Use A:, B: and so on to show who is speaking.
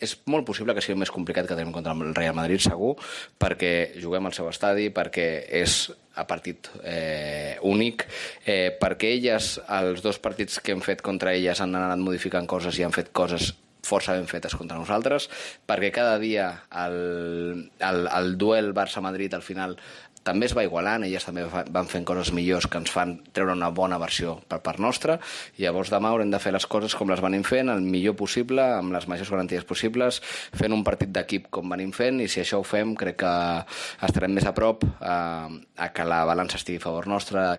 A: és molt possible que sigui més complicat que tenim contra el Real Madrid, segur, perquè juguem al seu estadi, perquè és a partit únic, perquè elles, els 2 partits que hem fet contra elles han anat modificant coses i han fet coses força ben fetes contra nosaltres, perquè cada dia el duel Barça-Madrid al final també es va igualant, elles també van fent coses millors que ens fan treure una bona versió per part nostra, i llavors demà haurem de fer les coses com les venim fent, el millor possible, amb les majors garanties possibles, fent un partit d'equip com venim fent, i si això ho fem crec que estarem més a prop a que la balança estigui a favor nostre.